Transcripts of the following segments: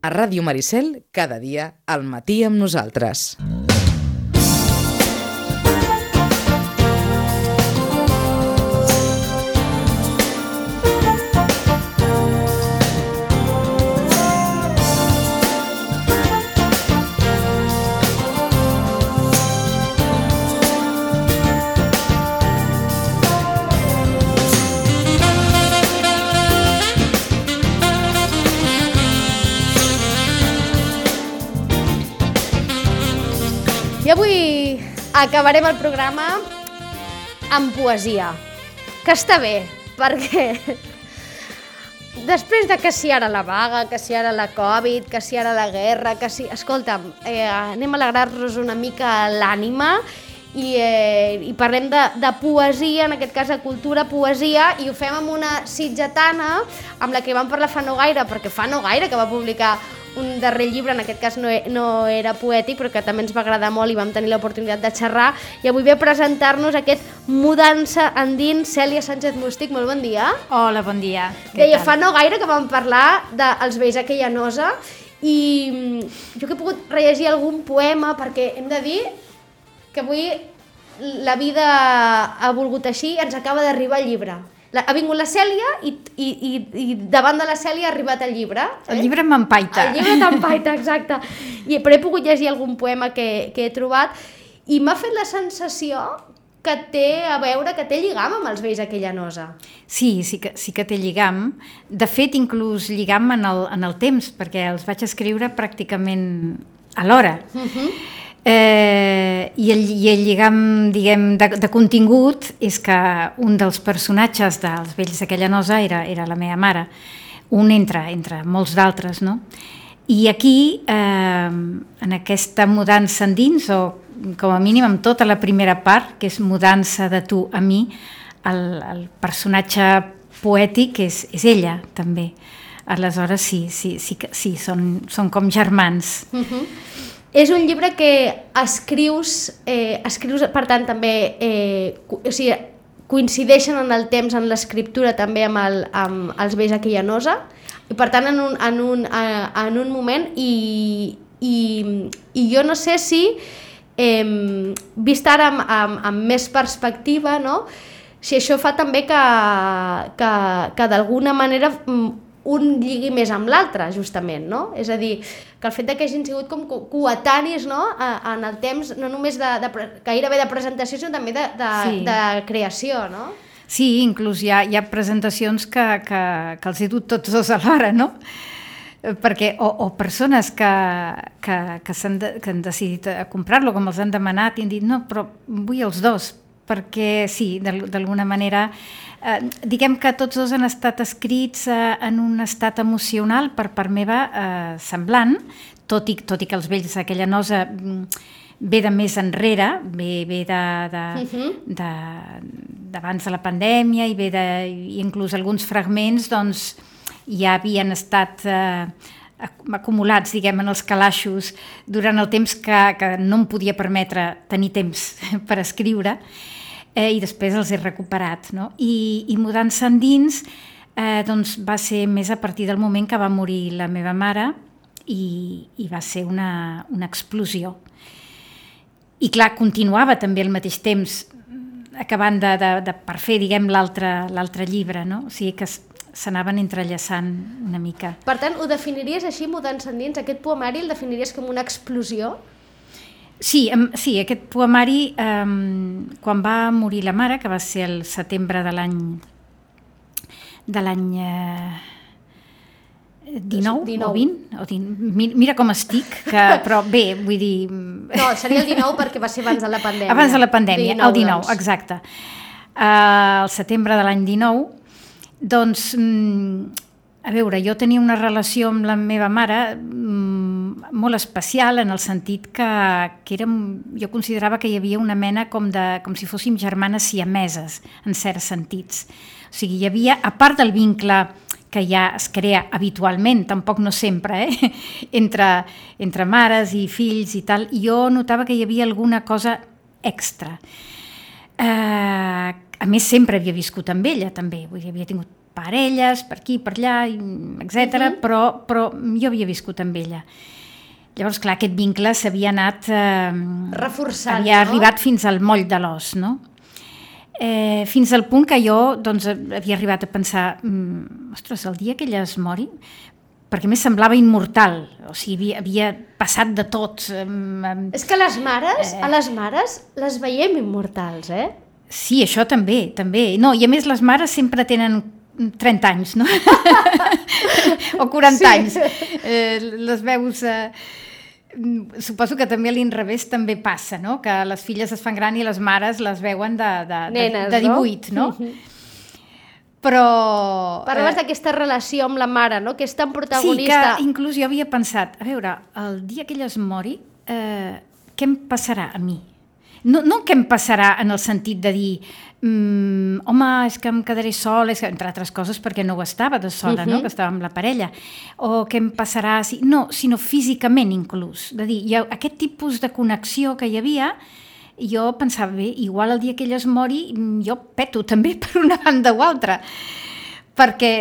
A Ràdio Maricel, cada dia, al matí amb nosaltres. I avui acabarem el programa amb poesia, que està bé, perquè després de que si ara la vaga, que si ara la Covid, que si ara la guerra, que si... Escolta'm, anem a alegrar-nos una mica l'ànima i parlem de poesia, en aquest cas de cultura, poesia, i ho fem amb una sitgetana amb la que vam parlar fa no gaire, perquè fa no gaire que va publicar un darrer llibre, en aquest cas no era poètic, però que també ens va agradar molt i vam tenir l'oportunitat de xerrar, i avui ve a presentar-nos aquest Mudança endins. Cèlia Sánchez Mústic, molt bon dia. Hola, bon dia. Deia, fa no gaire que vam parlar dels vells aquella nosa, i jo que he pogut rellegir algun poema, perquè hem de dir que avui la vida ha volgut així, ens acaba d'arribar el llibre. Ha vingut la Cèlia i davant de la Cèlia ha arribat el llibre. El llibre m'empaita. El llibre t'empaita, exacte. Però he pogut llegir algun poema que he trobat i m'ha fet la sensació que té a veure, que té lligam amb els vells aquella nosa. Sí que té lligam. De fet, inclús lligam en el temps, perquè els vaig escriure pràcticament alhora. I el lligam, diguem, de contingut és que un dels personatges dels vells d'aquella nosa era la meva mare, un entre molts d'altres, no? I aquí, en aquesta mudança endins, o com a mínim amb tota la primera part, que és mudança de tu a mi, el personatge poètic és ella, també. Aleshores, sí, són com germans. És un llibre que escrius, per tant, també, coincideixen en el temps, en l'escriptura, també amb els vells aquella nosa, i per tant, en un moment, i jo no sé si, vist ara amb més perspectiva, no? Si això fa també que d'alguna manera un lligui més amb l'altre, justament, no? És a dir, que el fet que hagin sigut com coetanis, no? En el temps, no només gairebé de presentació, sinó també de creació, no? Sí, inclús hi ha presentacions que els he dut tots dos alhora, no? Perquè, o persones que han decidit comprar-lo, com els han demanat, i han dit, no, però vull els dos, perquè sí, d'alguna manera, diguem que tots dos han estat escrits en un estat emocional per part meva semblant, tot i que els vells d'aquella nosa ve de més enrere, ve d'abans de la pandèmia, i inclús alguns fragments doncs, ja havien estat acumulats, diguem, en els calaixos durant el temps que no em podia permetre tenir temps per escriure, i després els he recuperat, no? I Mudança endins doncs va ser més a partir del moment que va morir la meva mare, i va ser una explosió. I clar, continuava també al mateix temps, acabant per fer, diguem, l'altre llibre, no? O sigui que s'anaven entrellaçant una mica. Per tant, ho definiries així, Mudança endins? Aquest poemari el definiries com una explosió? Sí, aquest poemari, quan va morir la mare, que va ser el setembre de l'any 19 o 20, o 20, mira com estic, però bé, vull dir... No, seria el 19 perquè va ser abans de la pandèmia. Abans de la pandèmia, el 19, doncs. Exacte. El setembre de l'any 19, doncs, a veure, jo tenia una relació amb la meva mare molt especial, en el sentit que jo considerava que hi havia una mena com si fóssim germanes siameses, en certs sentits. O sigui, hi havia, a part del vincle que ja es crea habitualment, tampoc no sempre, entre mares i fills i tal, jo notava que hi havia alguna cosa extra. A més, sempre havia viscut amb ella, també, vull dir, havia tingut parelles, per aquí, per allà, etc. Però jo havia viscut amb ella. Llavors, clar, aquest vincle s'havia anat... reforçant, havia arribat fins al moll de l'os, no? Fins al punt que jo doncs, havia arribat a pensar ostres, el dia que ella es mori, perquè més semblava immortal, o sigui, havia passat de tot. És que a les mares les veiem immortals, Sí, això també. No, i a més les mares sempre tenen 30 anys, no? O 40 anys. Les veus... Suposo que també a l'inrevés també passa, no? Que les filles es fan gran i les mares les veuen nenes, de 18, no? Però... Parlaves d'aquesta relació amb la mare, no? Que és tan protagonista. Sí, que inclús jo havia pensat, a veure, el dia que ella es mori, què em passarà a mi? No què em passarà en el sentit de dir home, és que em quedaré sola, entre altres coses perquè no ho estava de sola, no? Que estava amb la parella, o què em passarà... No, sinó físicament inclús, de dir, aquest tipus de connexió que hi havia, jo pensava, bé, igual el dia que ella es mori jo peto també per una banda o altra, perquè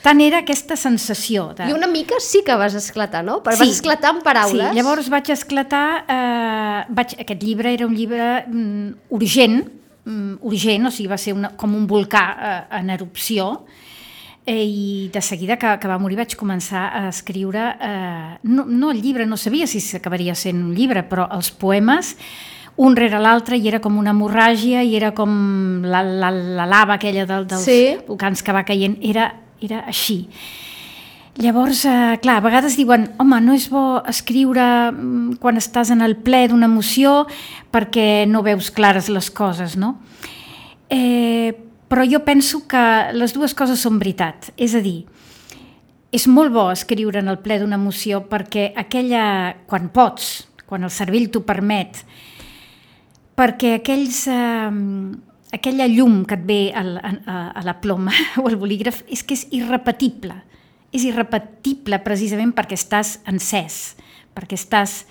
tant era aquesta sensació de... I una mica sí que vas esclatar, no? Vas esclatar en paraules. Sí, llavors vaig esclatar... Aquest llibre era un llibre urgent, o sigui, va ser com un volcà en erupció, i de seguida que va morir vaig començar a escriure, no el llibre, no sabia si s'acabaria sent un llibre, però els poemes, un rere l'altre, i era com una hemorràgia, i era com la lava aquella dels volcans que va caient, era així. Llavors, clar, a vegades diuen home, no és bo escriure quan estàs en el ple d'una emoció perquè no veus clares les coses, no? Però jo penso que les dues coses són veritat. És a dir, és molt bo escriure en el ple d'una emoció perquè quan pots, quan el cervell t'ho permet, perquè aquella llum que et ve a la ploma o al bolígraf és que és irrepetible. És irrepetible precisament perquè estàs encès, perquè estàs...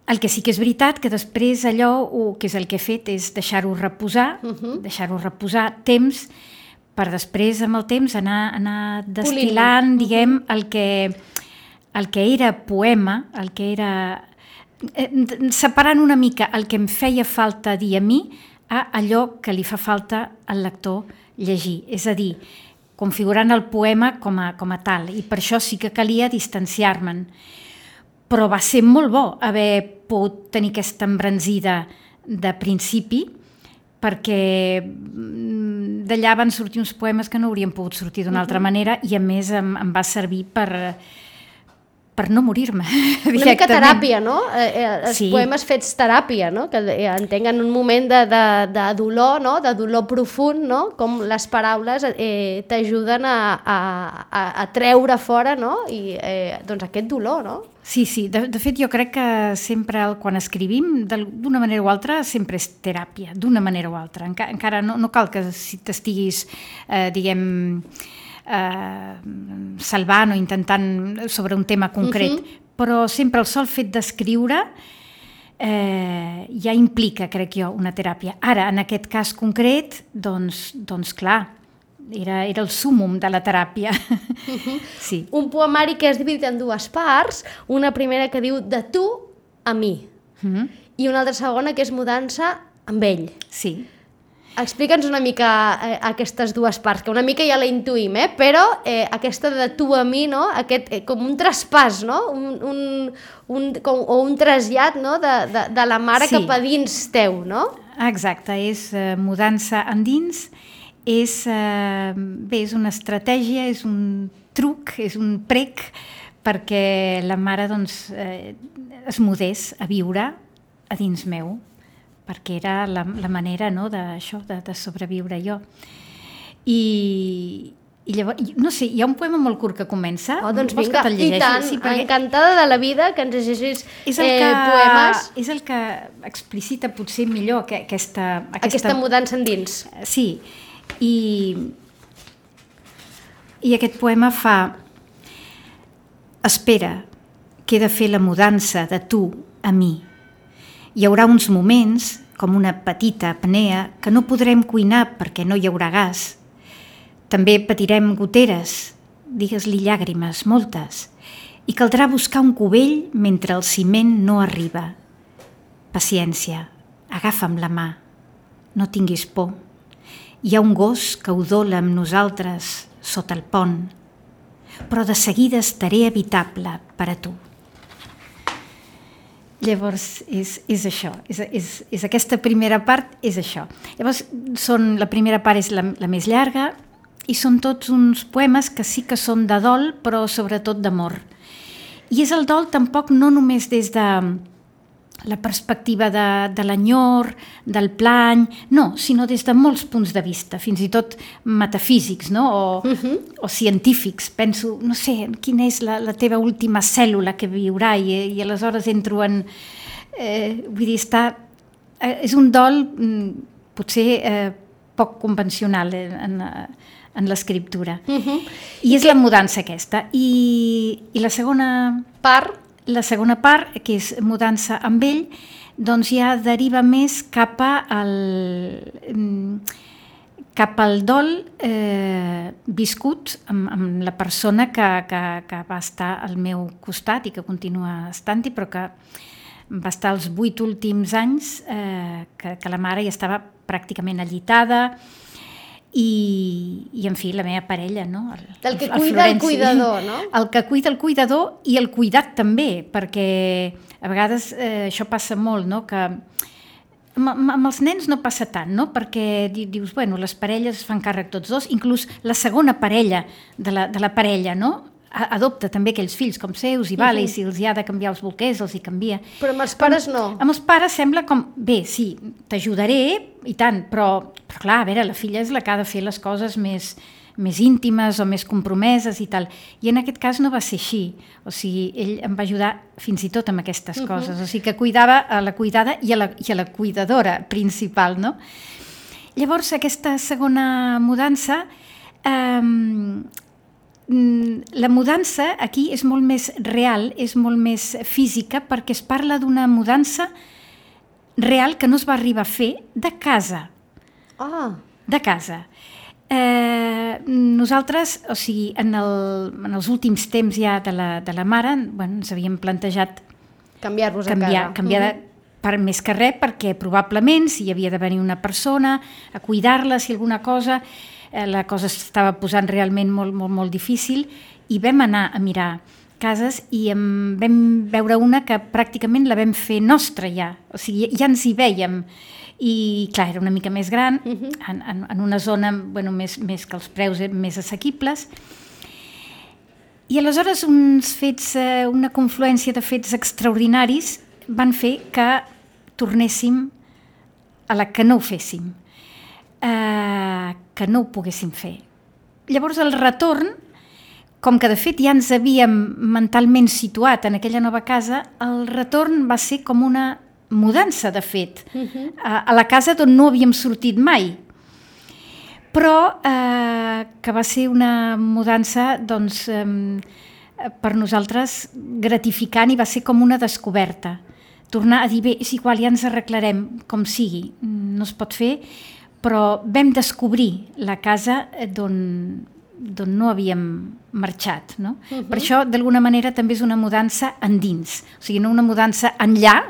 El que sí que és veritat, que després allò, que és el que he fet, és deixar-ho reposar, temps, per després, amb el temps, anar destil·lant, diguem, el que era poema, el que era... separant una mica el que em feia falta dir a mi a allò que li fa falta al lector llegir. És a dir, configurant el poema com a tal, i per això sí que calia distanciar-me'n. Però va ser molt bo haver pogut tenir aquesta embranzida de principi, perquè d'allà van sortir uns poemes que no haurien pogut sortir d'una altra manera, i a més em va servir per no morir-me directament. Una mica teràpia, no? Els poemes fets teràpia, no? Que entenguen un moment de dolor, no? De dolor profund, no? Com les paraules t'ajuden a treure fora, no? I doncs aquest dolor, no? Sí, de fet jo crec que sempre quan escrivim, d'una manera o altra, sempre és teràpia, d'una manera o altra. Encara no cal que si t'estiguis, diguem... salvant o intentant sobre un tema concret, però sempre el sol fet d'escriure ja implica, crec jo, una teràpia. Ara, en aquest cas concret, doncs clar, era el súmmum de la teràpia. Sí. Un poemari que és dividit en dues parts, una primera que diu de tu a mi, i una altra segona que és mudança amb ell. Sí. Explica'ns una mica aquestes dues parts, que una mica ja la intuïm, però aquesta de tu a mi, no? Com un traspàs, no? O un trasllat, no? De la mare cap a dins teu, no? Exacte, és mudança endins, és una estratègia, és un truc, és un prec perquè la mare es mudés a viure a dins meu, perquè era la manera, no, d'això, de sobreviure jo. I llavors, no sé, hi ha un poema molt curt que comença. Doncs vinga, i tant, encantada de la vida que ens llegeixis poemes. És el que explicita potser millor aquesta mudança endins. Sí, i aquest poema fa: espera, que he de fer la mudança de tu a mi. Hi haurà uns moments, com una petita apnea, que no podrem cuinar perquè no hi haurà gas. També patirem goteres, digues-li llàgrimes, moltes, i caldrà buscar un cubell mentre el ciment no arriba. Paciència, agafa'm la mà, no tinguis por. Hi ha un gos que udola amb nosaltres sota el pont, però de seguida estaré habitable per a tu. Llavors, és això, és aquesta primera part, és això. Llavors, la primera part és la més llarga i són tots uns poemes que sí que són de dol, però sobretot d'amor. I és el dol tampoc no només des de la perspectiva de l'enyor, del plany, no, sinó des de molts punts de vista, fins i tot metafísics, no? O científics. Penso, no sé, quina és la teva última cèl·lula que viurà i aleshores entro en... vull dir, és un dol potser poc convencional en l'escriptura. I és la mudança aquesta. I la segona part... La segona part, que és mudança amb ell, doncs ja deriva més cap al dol viscut amb la persona que va estar al meu costat i que continua estant-hi, però que va estar els 8 últims anys que la mare ja estava pràcticament allitada, i en fi, la meva parella, no? Del que cuida el cuidador, no? El que cuida el cuidador i el cuidat també, perquè a vegades això passa molt, no? Que amb els nens no passa tant, no? Perquè dius, bueno, les parelles fan càrrec tots dos, inclús la segona parella de la parella, no? Adopta també aquells fills com seus i vale, i si els hi ha de canviar els bolquers, els hi canvia. Però amb els pares no. Amb els pares sembla com, bé, sí, t'ajudaré i tant, però clar, a veure, la filla és la que ha de fer les coses més íntimes o més compromeses i tal. I en aquest cas no va ser així. O sigui, ell em va ajudar fins i tot amb aquestes coses. O sigui, que cuidava a la cuidada i a la cuidadora principal, no? Llavors, aquesta segona mudança... la mudança aquí és molt més real, és molt més física, perquè es parla d'una mudança real que no es va arribar a fer de casa. De casa. Nosaltres, o sigui, en els últims temps ja de la mare, bueno, ens havíem plantejat canviar-vos a casa. Canviar per més que res, perquè probablement si hi havia de venir una persona a cuidar-la, si alguna cosa... la cosa s'estava posant realment molt, molt, molt difícil i vam anar a mirar cases i vam veure una que pràcticament la vam fer nostra ja, o sigui, ja ens hi vèiem i clar, era una mica més gran, en una zona bueno, més que els preus més assequibles i aleshores una confluència de fets extraordinaris van fer que tornéssim a la que no ho féssim. Que no ho poguéssim fer. Llavors el retorn, com que de fet ja ens havíem mentalment situat en aquella nova casa, el retorn va ser com una mudança, de fet, a la casa d'on no havíem sortit mai. Però que va ser una mudança, doncs, per nosaltres gratificant i va ser com una descoberta. Tornar a dir, bé, és igual, ja ens arreglarem com sigui, no es pot fer, però vam descobrir la casa d'on no havíem marxat, no? Per això, d'alguna manera, també és una mudança endins, o sigui, no una mudança enllà,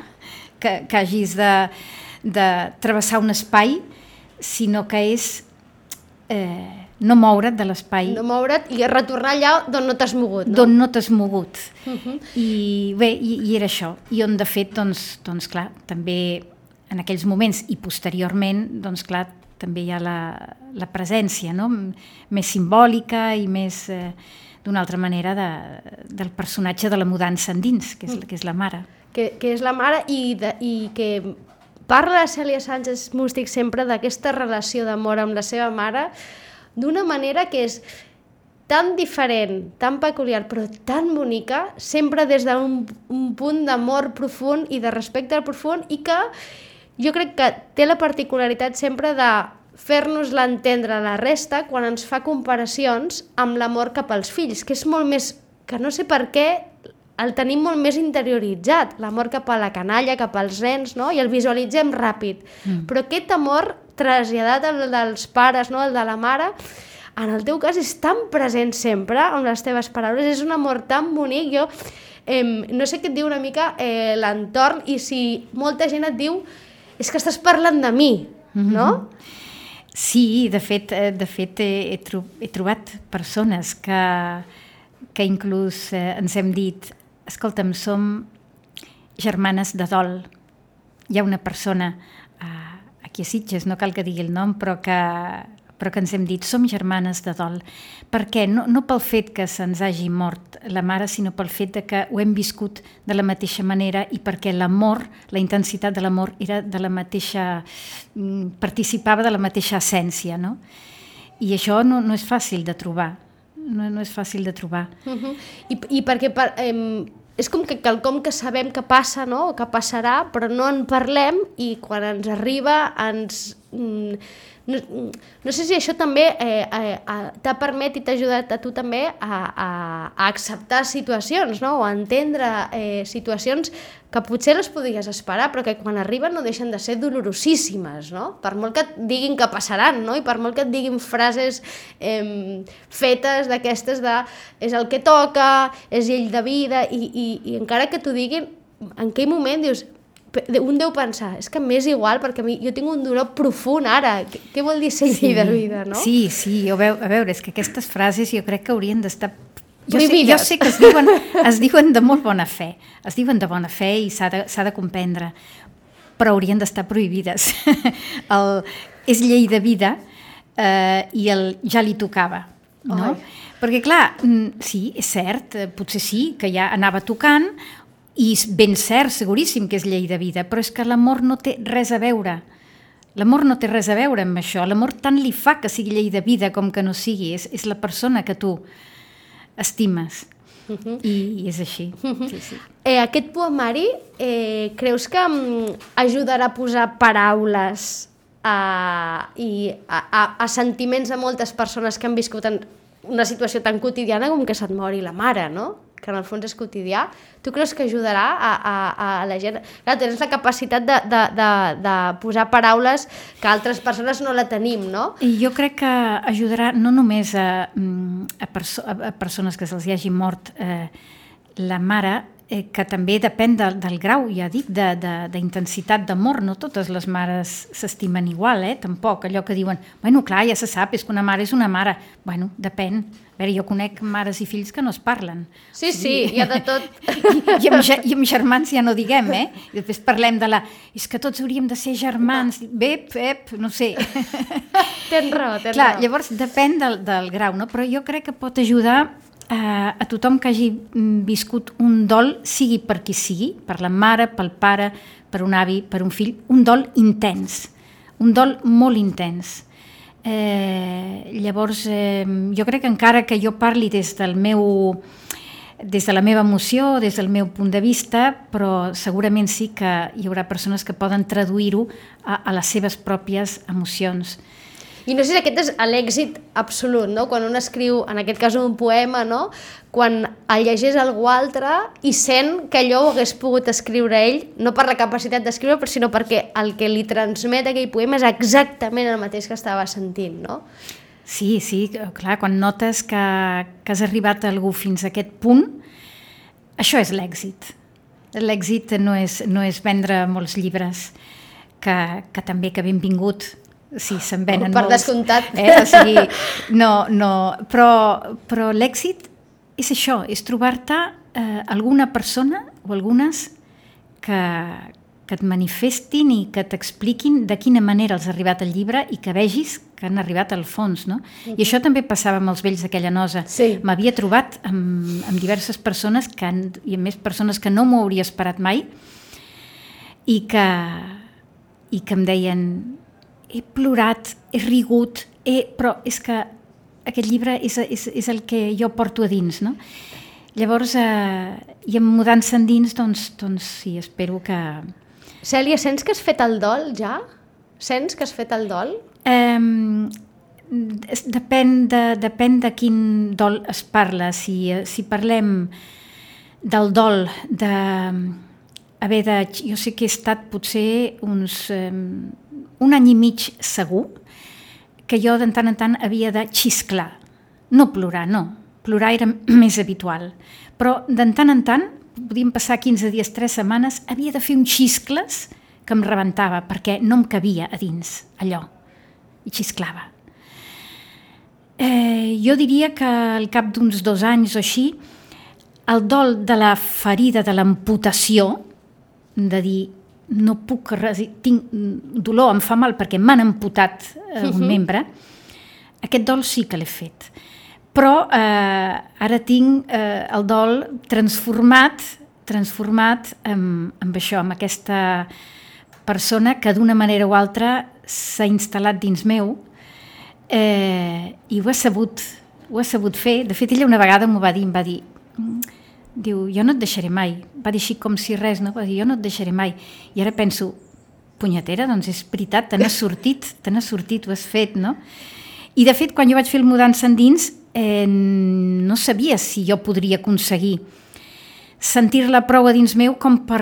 que hagis de travessar un espai, sinó que és no moure't de l'espai. No moure't i retornar allà d'on no t'has mogut, no? D'on no t'has mogut. I bé, i era això. I on, de fet, doncs clar, també en aquells moments i posteriorment, doncs clar, també hi ha la presència, no? Més simbòlica i més d'una altra manera del personatge de la mudança endins, que és la mare. Que és la mare i que parla la Cèlia Sánchez Mústic sempre d'aquesta relació d'amor amb la seva mare d'una manera que és tan diferent, tan peculiar, però tan bonica, sempre des d'un punt d'amor profund i de respecte profund i que jo crec que té la particularitat sempre de fer-nos-la entendre a la resta quan ens fa comparacions amb l'amor cap als fills, que és molt més, que no sé per què el tenim molt més interioritzat, l'amor cap a la canalla, cap als nens, no? I el visualitzem ràpid. Però aquest amor traslladat al dels pares, no? El de la mare, en el teu cas és tan present sempre amb les teves paraules, és un amor tan bonic. Jo no sé què et diu una mica l'entorn, i si molta gent et diu és que estàs parlant de mi, no? Sí, de fet he trobat persones que inclús ens hem dit, escolta'm, som germanes de dol. Hi ha una persona aquí a Sitges, no cal que digui el nom, però que ens hem dit, som germanes de dol. Per què? No pel fet que se'ns hagi mort la mare, sinó pel fet de que ho hem viscut de la mateixa manera i perquè l'amor, la intensitat de l'amor era de la mateixa, participava de la mateixa essència, no? I això no és fàcil de trobar, no és fàcil de trobar. I perquè és com que quelcom que sabem que passa, no? O que passarà, però no en parlem, i quan ens arriba no sé si això també t'ha permès i t'ha ajudat a tu també a acceptar situacions, no? O a entendre situacions que potser les podies esperar, però que quan arriben no deixen de ser dolorosíssimes, no? Per molt que et diguin que passaran, no? I per molt que et diguin frases fetes d'aquestes de és el que toca, és llei de vida, i encara que t'ho diguin, en aquell moment dius, un deu pensar, és que m'és igual perquè jo tinc un dolor profund ara, què vol dir ser llei de vida, no? Sí, a veure, és que aquestes frases jo crec que haurien d'estar... Jo sé que es diuen de molt bona fe, es diuen de bona fe i s'ha de comprendre, però haurien d'estar prohibides. És llei de vida i ja li tocava, no? Perquè clar, sí, és cert, potser sí, que ja anava tocant, i ben cert, seguríssim que és llei de vida, però és que l'amor no té res a veure. L'amor no té res a veure amb això. L'amor tant li fa que sigui llei de vida com que no sigui. És la persona que tu estimes. I és així. Sí. Aquest poemari, creus que ajudarà a posar paraules a sentiments de moltes persones que han viscut en una situació tan quotidiana com que se't mori la mare, no? Que en el fons és quotidià? Tu creus que ajudarà a la gent? Clar, tens la capacitat de posar paraules que altres persones no la tenim, no? I jo crec que ajudarà no només a persones que se'ls hagi mort la mare, que també depèn del grau, ja dic, d'intensitat d'amor. No totes les mares s'estimen igual, tampoc. Allò que diuen, bueno, clar, ja se sap, és que una mare és una mare. Bueno, depèn. A veure, jo conec mares i fills que no es parlen. Sí, hi ha de tot. I amb germans ja no diguem, I després parlem de és que tots hauríem de ser germans. No sé. Tens raó. Clar, llavors depèn del grau, no? Però jo crec que pot ajudar a tothom que hagi viscut un dol, sigui per qui sigui, per la mare, pel pare, per un avi, per un fill, un dol intens, un dol molt intens. Llavors, jo crec que encara que jo parli des de la meva emoció, des del meu punt de vista, però segurament sí que hi haurà persones que poden traduir-ho a les seves pròpies emocions. I no sé si aquest és l'èxit absolut, no? Quan un escriu, en aquest cas un poema, no? Quan el llegeix algú altre i sent que allò ho hagués pogut escriure ell, no per la capacitat d'escriure, sinó perquè el que li transmet aquell poema és exactament el mateix que estava sentint, no? Sí, clar, quan notes que has arribat a algú fins a aquest punt, això és l'èxit. L'èxit no és vendre molts llibres, que també que benvingut. Sí, se'n venen molts. Per descomptat. O sigui, però l'èxit és això, és trobar-te alguna persona o algunes que et manifestin i que t'expliquin de quina manera els ha arribat el llibre i que vegis que han arribat al fons, no? I això també passava amb els vells d'aquella nosa. Sí. M'havia trobat amb diverses persones i amb més persones que no m'ho hauria esperat mai i que em deien: he plorat, he rigut, però és que aquest llibre és el que jo porto a dins, no? Llavors, i mudant-se endins, doncs sí, espero que... Cèlia, sents que has fet el dol ja? Sents que has fet el dol? Depèn de quin dol es parla. Si parlem del dol jo sé que he estat potser un any i mig segur que jo de tant en tant havia de xisclar. No plorar, no. Plorar era més habitual. Però de tant en tant, podien passar 15 dies, 3 setmanes, havia de fer uns xiscles que em rebentava, perquè no em cabia a dins allò. I xisclava. Jo diria que al cap d'uns 2 anys o així, el dol de la ferida, de l'amputació, de dir, no puc tinc dolor, em fa mal perquè m'han amputat un membre, aquest dol sí que l'he fet. Però ara tinc el dol transformat amb això, amb aquesta persona que d'una manera o altra s'ha instal·lat dins meu i ho he sabut fer. De fet, ella una vegada m'ho va dir, em va dir, diu, jo no et deixaré mai. Va dir així com si res, no? Va dir, jo no et deixaré mai. I ara penso, punyetera, doncs és veritat, te n'has sortit, ho has fet, no? I de fet, quan jo vaig fer el Mudança Endins, no sabia si jo podria aconseguir sentir-la prou a dins meu com per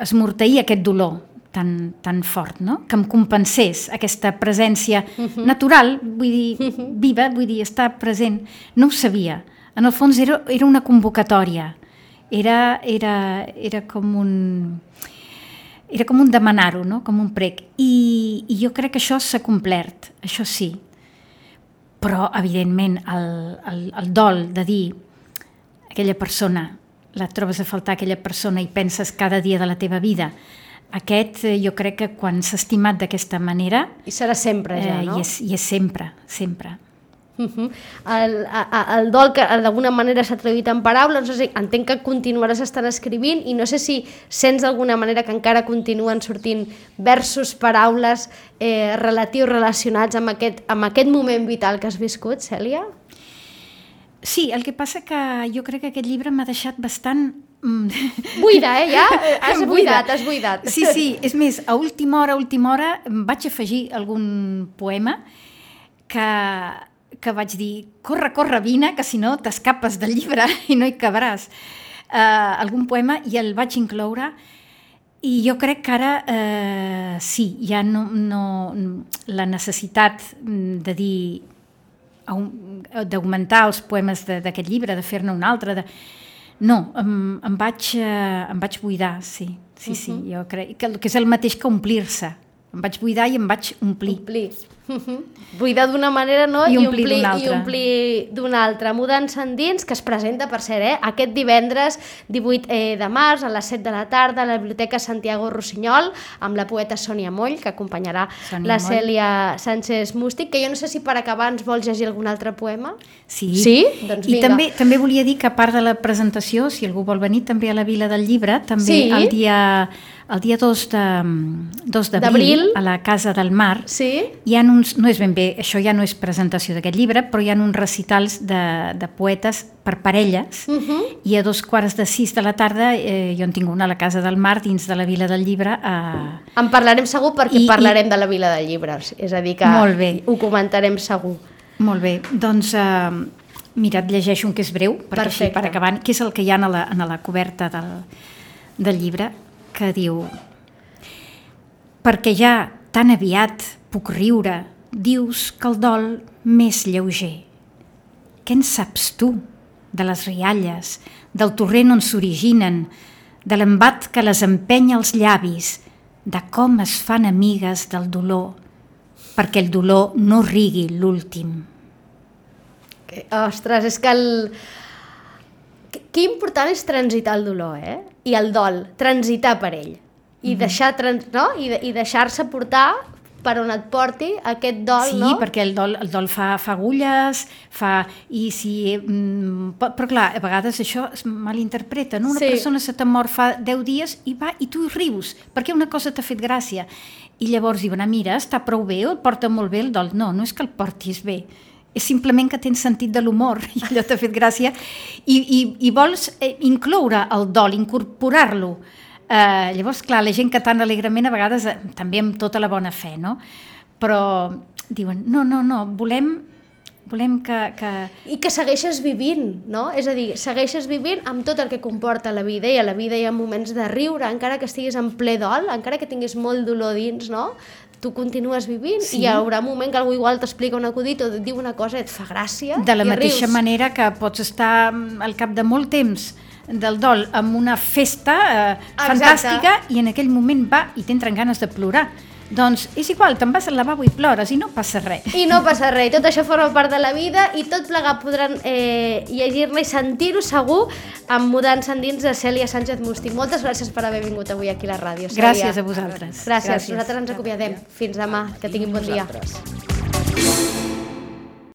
esmorteir aquest dolor tan fort, no? Que em compensés aquesta presència natural, vull dir, viva, vull dir, estar present. No ho sabia. En el fons era una convocatòria. Era com un demanar-ho, no? Com un prec. I jo crec que això s'ha complert, això sí. Però, evidentment, el dol de dir aquella persona, la trobes a faltar aquella persona i penses cada dia de la teva vida, aquest jo crec que quan s'ha estimat d'aquesta manera... I serà sempre ja, no? I és sempre, sempre. El dol que d'alguna manera s'ha traduït en paraules, no sé, entenc que continuaràs estant escrivint i no sé si sents d'alguna manera que encara continuen sortint versos, paraules relacionats amb aquest moment vital que has viscut, Cèlia? Sí, el que passa que jo crec que aquest llibre m'ha deixat bastant... Buida, ja? Has buidat. Sí, és més, a última hora vaig afegir algun poema que vaig dir, corre, vine, que si no t'escapes del llibre i no hi cabràs. Algun poema i el vaig incloure i jo crec que ara sí, ja no la necessitat de dir d'augmentar els poemes d'aquest llibre, de fer-ne un altre, no, em vaig buidar, sí, jo crec que és el mateix que omplir-se. Em vaig buidar i em vaig omplir. Buidar d'una manera, no? I omplir d'una altra. Mudança Endins, que es presenta, per cert, aquest divendres 18 de març a les 7 de la tarda a la Biblioteca Santiago Rossinyol amb la poeta Sònia Moll, que acompanyarà la Cèlia Sánchez Mústic, que jo no sé si per acabar ens vols llegir algun altre poema. Sí? Doncs vinga. I també volia dir que a part de la presentació, si algú vol venir també a la Vila del Llibre, també el dia 2 d'abril a la Casa del Mar hi ha uns, no és ben bé, això ja no és presentació d'aquest llibre, però hi ha uns recitals de poetes per parelles i a 5:45 de la tarda jo en tinc una a la Casa del Mar dins de la Vila del Llibre. En parlarem segur perquè parlarem de la Vila del Llibre, és a dir que ho comentarem segur. Molt bé, doncs mira, et llegeixo un que és breu, perquè així per acabar, que és el que hi ha a la coberta del llibre, que diu: perquè ja tan aviat puc riure, dius que el dol m'és lleuger. Què en saps tu de les rialles, del torrent on s'originen, de l'embat que les empenya als llavis, de com es fan amigues del dolor, perquè el dolor no rigui l'últim? Ostres, és que que important és transitar el dolor, i el dol, transitar per ell i deixar-se portar per on et porti aquest dol, no? Sí, perquè el dol fa agulles, però clar, a vegades això es malinterpreta, no? Una persona se t'ha mort fa 10 dies i tu rius, perquè una cosa t'ha fet gràcia. I llavors diuen, mira, està prou bé, o el porta molt bé el dol. No és que el portis bé, és simplement que tens sentit de l'humor i allò t'ha fet gràcia i vols incloure el dol, incorporar-lo. Llavors, clar, la gent que tan alegrement a vegades també amb tota la bona fe, no? Però diuen, no, volem que... I que segueixes vivint, no? És a dir, segueixes vivint amb tot el que comporta la vida, i a la vida hi ha moments de riure, encara que estiguis en ple dol, encara que tinguis molt dolor dins, no? tu continues vivint Sí. i hi haurà un moment que algú igual t'explica un acudit o et diu una cosa i et fa gràcia De la i mateixa rius. manera que pots estar al cap de molt temps del dol amb una festa fantàstica i en aquell moment va i t'entren ganes de plorar. Doncs és igual, te'n vas al lavabo i plores i no passa res. I no passa res, tot això forma part de la vida i tot plegat podran llegir-ne i sentir-ho segur amb Mudant-se endins de Cèlia Sánchez Musti. Moltes gràcies per haver vingut avui aquí a la ràdio, Cèlia. Gràcies a vosaltres. Gràcies. Nosaltres ens acomiadem. Fins demà, que tinguin bon dia. Nosaltres.